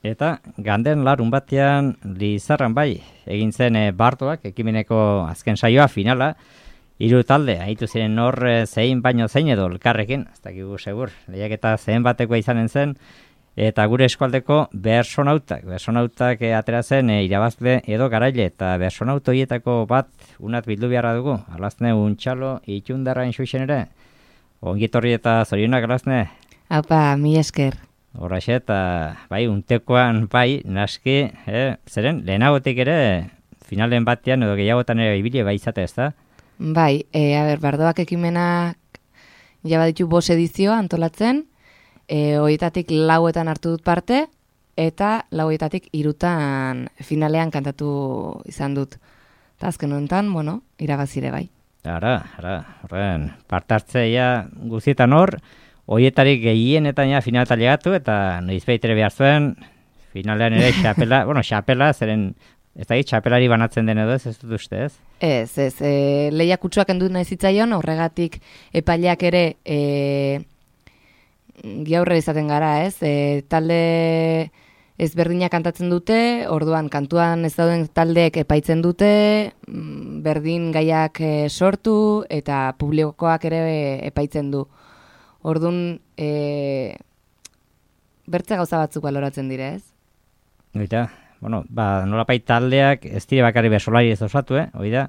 Eta ganden larun batean Lizarran bai, egin zen Bartoak, ekimeneko azken saioa, finala, 3 talde, haitu ziren hor zein baino zein edo elkarrekin, ez dakigu segur, lehiaketa zein batekoa izanen zen, eta gure eskualdeko bersonautak atera zen irabazle edo garaile, eta bersonauto hietako bat unat bildu beharra dugu, Alazne Untxalo Itxundarra inxuixen ere, ongitorri eta zorionak Alazne. Aupa, mi esker. Horraxe, eta bai, untekoan bai, naski, zeren, lehenagotik ere, finalen batean edo gehiagotan ere ibili bai izate, ez da? Bai, Bardoak ekimenak jabaditu 5 edizio antolatzen, horietatik 4etan hartu dut parte, eta 4etatik 3 finalean kantatu izan dut. Eta azken honetan, irabazire bai. Horren, parte hartzeia guztietan hor, horietarik gehienetan finaleta llegatu, eta noizbait ere behar zuen, finalean ere xapela, zeren, ez da txapelari banatzen den edo ez dut uste, ez? Ez, lehiak kutsuak endu nahi zitzaion, horregatik epaileak ere giaurre izaten gara, ez? Talde ezberdinak kantatzen dute, orduan kantuan ez dauden taldeek epaitzen dute, berdin gaiak sortu, eta publikoak ere epaitzen du. Orduan, bertze gauza batzuk baloratzen dire, ez? Oita, nolapait taldeak ez dire bakarri besolari ez osatu, oida,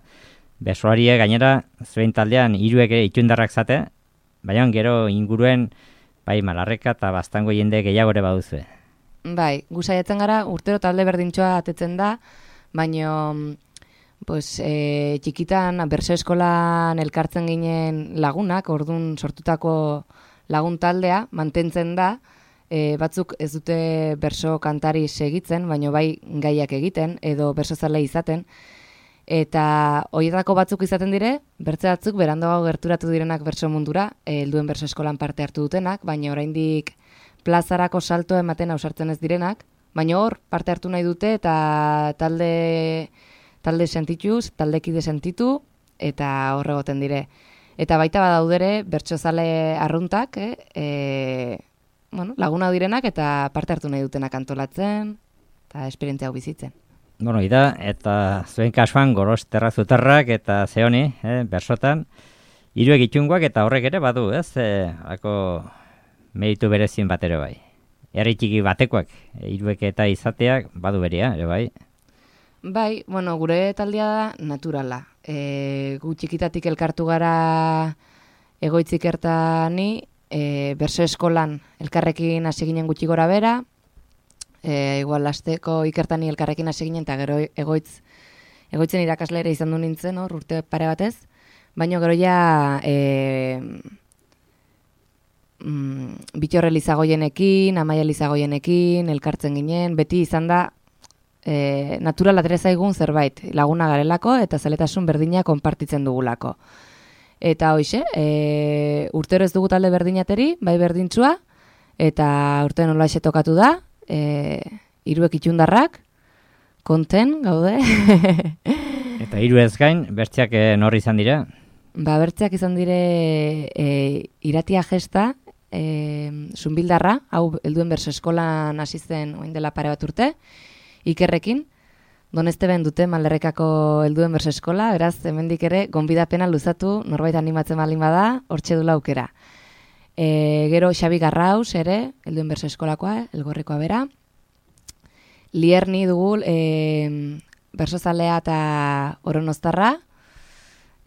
besolarie gainera zuen taldean 3 ere itxundarrak zate, baina gero inguruen, bai, Malarreka eta Baztango jende gehiago ere baduzue. Bai, gu saiatzen gara, urtero talde berdintxoa atetzen da, baina txikitan berso eskolan elkartzen ginen lagunak, orduan sortutako lagun taldea mantentzen da, batzuk ez dute berso kantari segitzen, baina bai gaiak egiten edo berso zale izaten, eta horietako batzuk izaten dire, bertze batzuk berandoago gerturatu direnak berso mundura, helduen berso eskolan parte hartu dutenak, baina oraindik plazarako salto ematen ausartzen ez direnak, baina hor parte hartu nahi dute eta talde sentituz, taldekide sentitu, eta hor egoten dire. Eta baita badaudere, bertsozale arruntak, laguna direnak eta parte hartu nahi dutenak antolatzen, eta esperientzia hau bizitzen. Eta zuen kasuan Gorosterra Zutarrak eta Zeoni, bersotan, 3 itxungoak eta horrek ere badu, ez? Hako meritu berezin bat ere bai. Herri txiki batekoak, 3 eta izateak badu berea, ere bai. Bai, gure taldea da naturala. Gu txikitatik elkartu gara egoitzik ertani, berso eskolan elkarrekin hasi ginen gutxi gora bera, igual asteko ikertani elkarrekin hasi ginen, eta gero egoitzen irakaslera izan du nintzen, urte pare batez, baina gero ja Bittorre Lizagoienekin, Amaia Lizagoienekin, elkartzen ginen, beti izan da natural atera zaigun zerbait, laguna garelako eta zaletasun berdina konpartitzen dugulako. Eta hoize, urtero ez dugu talde berdinateri, bai berdintzua, eta urte nola tokatu da, 3 itxundarrak, konten, gaude. Eta 3 ez gain, bertziak norri izan dira? Bertziak izan dire Iratia Gesta, Zunbildarra, hau helduen berso eskolan hasi zen orain dela pare bat urte, Ikerrekin, Donesteben dute Malerrekako helduen berso eskola, beraz, hemendik ere, gonbidapena luzatu, norbait animatzen baldin bada, hortxe dula aukera. Gero Xabi Garraus ere, helduen berso eskolakoa, Elgorrikoa bera. Lierni dugu, bersozalea eta Oronostarra.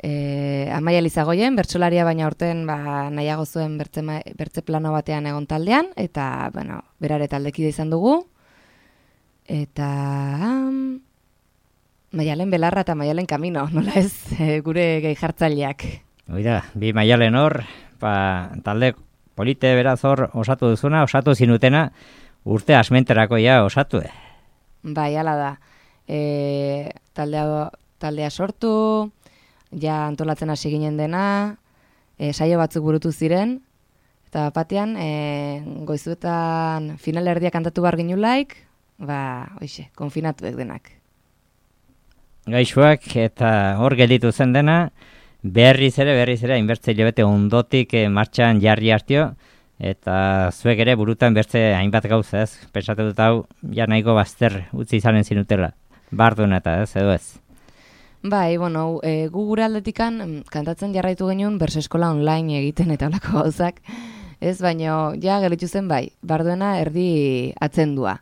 Amaia Lizagoien, bertsolaria baina orten nahiago zuen bertze plano batean egon taldean, eta berare taldekide izan dugu. Eta Maialen Belarra eta Maialen Kamino, nola ez, gure gehi jartzaileak. Oida, 2 Maialen hor, talde polite beraz hor osatu duzuna, osatu zinutena, urte asmenterako osatu. Bai, hala da. Taldea sortu, ja antolatzen hasi ginen dena, saio batzuk burutu ziren, eta batean goizuetan final erdia kantatu bar ginulaik, konfinatuek denak. Gaixoak eta hor gelditu zen dena, berriz ere, hainbertze hilabete ondotik martxan jarri hartio, eta zuek ere burutan bertze hainbat gauza, ez? Pentsatu dut hau, ja nahiko bazter utzi izanen zinutela, barduen eta ez, edo ez? Bai, bueno, gu gure aldetikan kantatzen jarraitu genuen berso eskola online egiten eta holako gauzak, ez, baino ja gelditu zen bai, barduena erdi atzendua.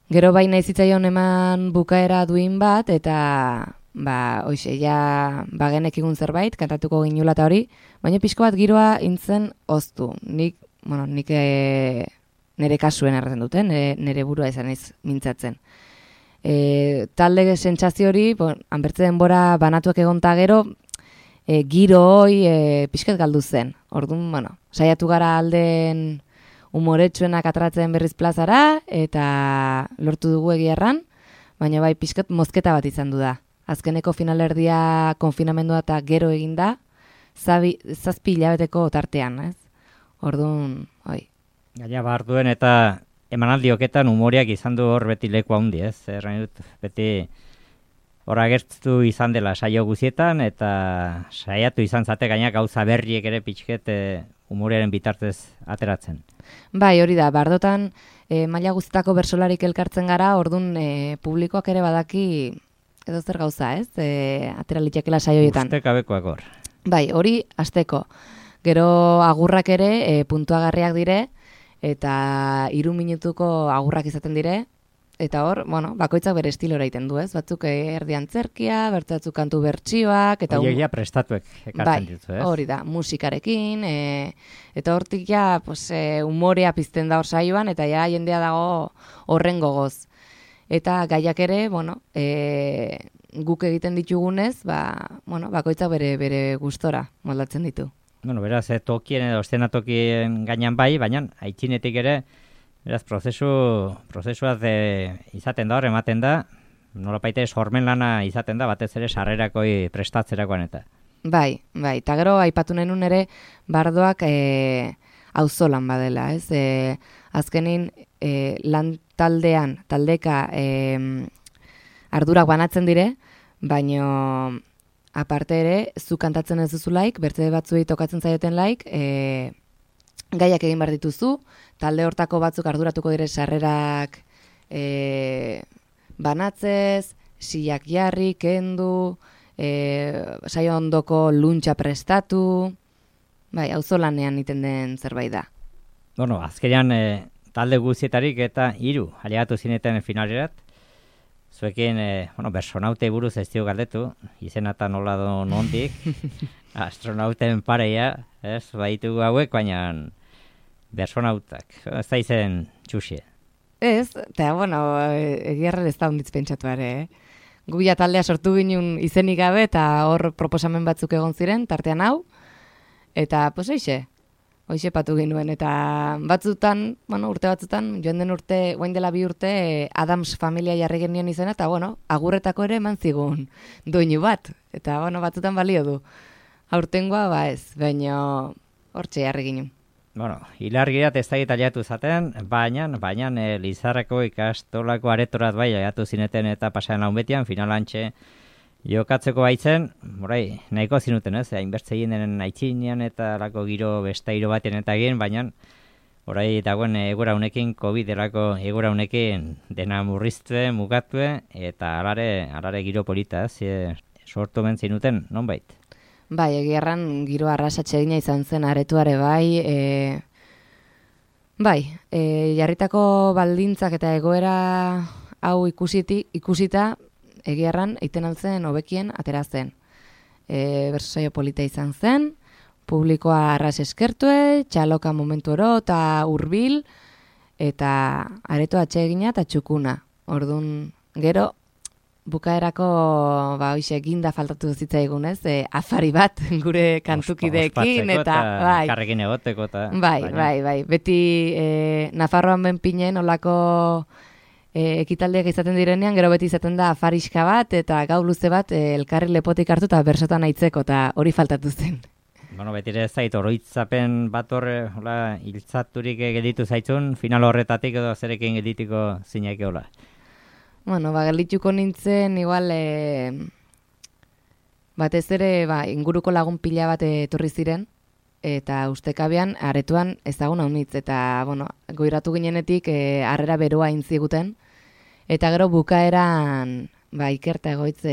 Gero bai nahi zitzaion eman bukaera duin bat, eta hoxe, ja bagenekigun zerbait, kantatuko ginula eta hori, baina pixko bat giroa intzen oztu. Nik nire kasuen erraten duten, nire burua izan ez mintzatzen. Talde sentsazio hori, hanbertze denbora banatuak egonta gero, giro hoi pixket galdu zen. Orduan, saiatu gara alden umoretsuenak atratzen berriz plazara, eta lortu dugu egiarran, baina bai pixket mozketa bat izan du da. Azkeneko finalerdia konfinamendua eta gero eginda, 7 hilabeteko tartean, ez? Orduan, oi. Gaina barduen eta emanaldioketan umoriak izan du hor beti leku handi, ez? Errain dut, beti hor agertu izan dela saio guzietan, eta saiatu izan zate gaina gauza berriek ere pixket umorearen bitartez ateratzen. Bai, hori da, bardotan maila guztietako bersolarik elkartzen gara, orduan publikoak ere badaki edo zer gauza, ez? Atera litekela saioetan. Ustekabekoak hor. Bai, hori hasteko. Gero agurrak ere puntuagarriak dire, eta 3 minutuko agurrak izaten dire, eta hor, bakoitzak bere estilora egiten du, ez? Batzuk erdi antzerkia, batzuk kantu bertsioak, eta Oiegia prestatuek ekartzen ditu, ez? Bai, hori da, musikarekin, eta hortik ja, umorea pizten da hor saioan, eta ja jendea dago horren gogoz. Eta gaiak ere, guk egiten ditugunez, bakoitzak bere gustora moldatzen ditu. Beraz, tokien edo eszenatokien gainan bai, baina aitzinetik ere, beraz, prozesua izaten da hor, ematen da, nolapaite sormen lana izaten da, batez ere sarrerakoi prestatzerakoan eta. Bai, eta gero aipatu nenun ere, bardoak auzolan badela, ez? Azkenin, lan taldeka ardurak banatzen dire, baino aparte ere, zu kantatzen ez duzulaik, bertze batzuei tokatzen zaioten laik, gaiak egin behar dituzu, talde hortako batzuk arduratuko dire sarrerak banatzez, silak jarri, kendu, saio ondoko luntxa prestatu, bai, auzolanean iten den zerbait da. Azkenean talde guztietarik eta 3 aliatu zineten finalerat, zuekin, bersonaute buruz ez dio galdetu, izena eta nola do nondik, astronauten pareia, ez, baitugu hauek, baina bersonautak, ez da izen txuxie. Ez, eta, egiarren ez da honditz pentsatu ere, Gu ja taldea sortu ginen izenik gabe, eta hor proposamen batzuk egon ziren, tartean hau, eta, hoxe patu ginuen, eta batzutan, urte batzutan, joan den urte, guain dela 2 urte, Adams familia jarri genien izena, eta, agurretako ere eman zigun doinu bat, eta, batzutan balio du. Aurtengoa, ez, baina hortxe jarri ginen. Hilargirat ez da aliatu zaten, baina Lizarrako ikastolako aretorat bai aliatu zineten eta pasaren launbetian, finalantxe jokatzeko baitzen, nahiko zinuten, ez? Hainbertze egin denen aitzinean eta lako giro bestairo baten eta egin, baina dagoen egora honekin, COVID-erako egora honekin dena murriztue, mugatue, eta alare giro polita, sortu ben zinuten, nonbait? Bai, egiarran giro arrasatxe egina izan zen aretuare bai, jarritako baldintzak eta egoera hau ikusita, egiarran eiten altzen hobekien atera zen. Berso saio polita izan zen, publikoa arras eskertue, txaloka momentu oro eta hurbil, eta areto atsegina eta txukuna. Orduan, gero, bukaerako ginda faltatu zitzaigun, ez? Afari bat gure kantukideekin eta karrekin egoteko eta bai. Beti Nafarroan benpinen olako ekitaldiak izaten direnean, gero beti izaten da afariska bat eta gau luze bat elkarri lepotik hartu eta bersotan aitzeko eta hori faltatu zen. Beti ere zait oroitzapen bat horre hiltzaturik gelditu zaitzun, final horretatik edo zerekin gelditiko zineke hola. Geldituko nintzen, igual, batez ere, inguruko lagun pila bat etorri ziren, eta ustekabean aretoan ezagun haunitz, eta, bueno, goiratu ginenetik harrera beroa intziguten, eta gero bukaeran, Ikerta Egoitz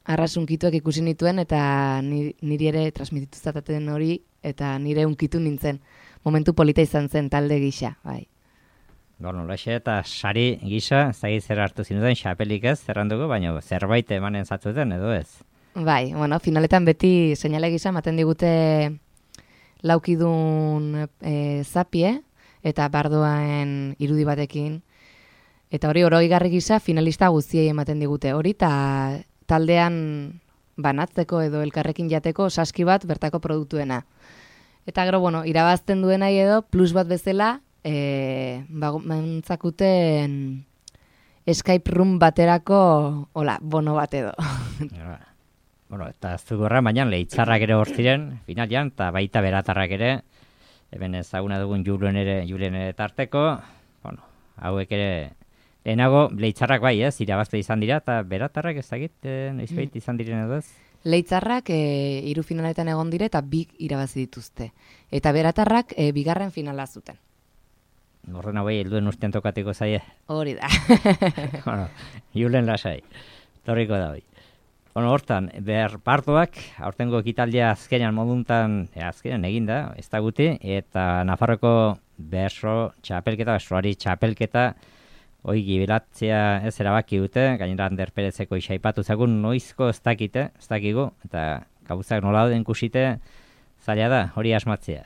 arrasunkituak ikusi nituen, eta niri ere transmititu zataten hori, eta nire unkitu nintzen. Momentu polita izan zen talde gisa, bai. Bueno, laxe eta sari gisa, zagit zer hartu zinuten, xapelik ez, zerranduko, baina zerbait emanen zatzuten, edo ez? Bai, bueno, finaletan beti seinale gisa ematen digute laukidun zapie, eta bardoen irudi batekin, eta hori oroigarri gisa finalista guztiei ematen digute. Hori eta taldean banatzeko edo elkarrekin jateko saski bat bertako produktuena. Eta gero, bueno, irabazten duenai edo plus bat bezala, mantzakuten Skype room baterako, bono bat edo. Bueno, eta ez dugurra, baina leitzarrak ere hor ziren, finalian, eta baita beratarrak ere, eben ezaguna dugun Julen ere tarteko, bueno, hauek ere, lehenago, leitzarrak bai ez, irabazte izan dira, eta beratarrak ez dakit, noizbait izan diren edo ez? Leitzarrak 3 finaletan egon dire eta 2 irabazi dituzte. Eta beratarrak 2. finala zuten. Horren hauei helduen urtean tokatiko zaie. Hori da. Bueno, Julen lasai, torriko da hoi. Bueno, hortan, partoak, aurtengo ekitaldia azkenean moduntan, azkenean eginda, ez da guti, eta Nafarroko berso txapelketa, hoi gibilatzea ez erabaki dute, gainera Ander Perezeko isaipatu zagun noizko ez dakigu, eta gauzak nola den kusite, zaila da, hori asmatzea.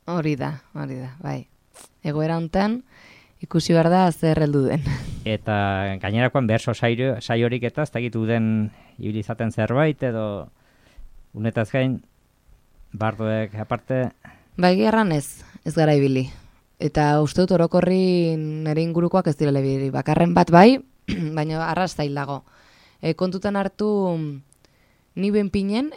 Hori da, bai. Egoera hontan, ikusi behar da zer heldu den. Eta gainerakoan berso saiorik eta ez dakitu den ibilizaten zerbait, edo unetaz gain, bardoek aparte... Bai, gerran ez gara ibili. Eta uste dut orokorri nire ingurukoak ez direle ibili. Bakarren bat bai, baina arras zailago. Kontutan hartu ni benpinen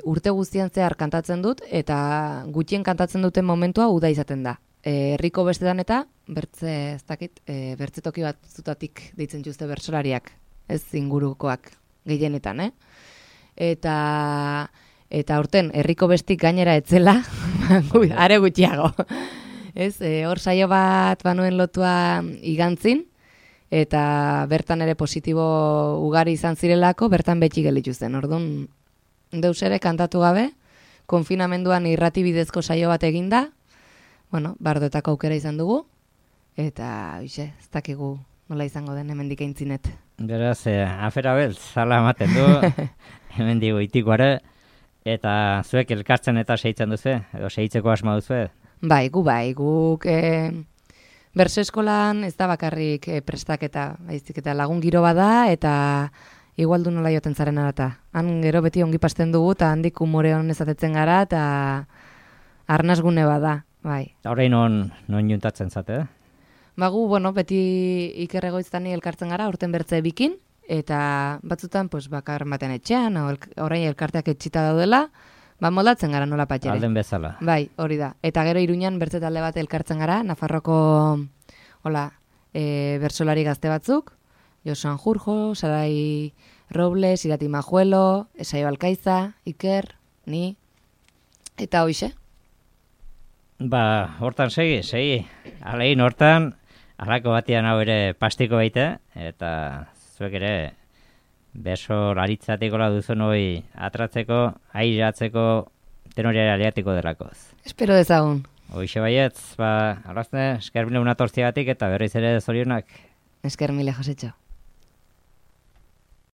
urte guztian zehar kantatzen dut, eta gutxien kantatzen duten momentua uda izaten da. Herriko bestetan eta bertze toki bat zutatik deitzen juzte bersolariak, ez ingurukoak gehienetan, Eta urten herriko bestik gainera etzela, are gutxiago. Hor saio bat banuen lotua igantzin, eta bertan ere positibo ugari izan zirelako, bertan betxi gelitu zen. Orduan, deus ere kantatu gabe, konfinamenduan irrati bidezko saio bat eginda, bardoetako aukera izan dugu, eta ez dakigu nola izango den hemendik aintzinet. Beraz, afera beltz, zala ematen du, hemendik goitikoare, eta zuek elkartzen eta seitzen duzu, edo seitzeko asma duzu? Guk berso eskolan ez da bakarrik prestaketa, baizik eta lagun giro bada, eta igualdu nola joten zaren arata. Han gero beti ongi pasten dugu, eta handik umore honez atetzen gara, eta arnazgune bada. Bai. Horrein non juntatzen zate, Gu, beti Iker Egoitztani elkartzen gara, urten bertze bikin, eta batzutan, bakar baten etxean, orain elkarteak etxita daudela, moldatzen gara nola patxere. Alden bezala. Bai, hori da. Eta gero Iruñan bertze talde bat elkartzen gara, Nafarroko bersolari gazte batzuk, Josu Jurjo, Sarai Robles, Irati Majuelo, Esaio Alkaiza, Iker, ni, eta hoixe. Hortan segi. Alein hortan, alako batian hau ere pastiko baite, eta zuek ere beso laritzatikola duzun hoi atratzeko, airatzeko, tenorea aliatiko delakoz. Espero dezagun. Hoixe baietz, alazne, esker mile unatortziagatik eta berriz ere zorionak. Esker mile, Josetxo.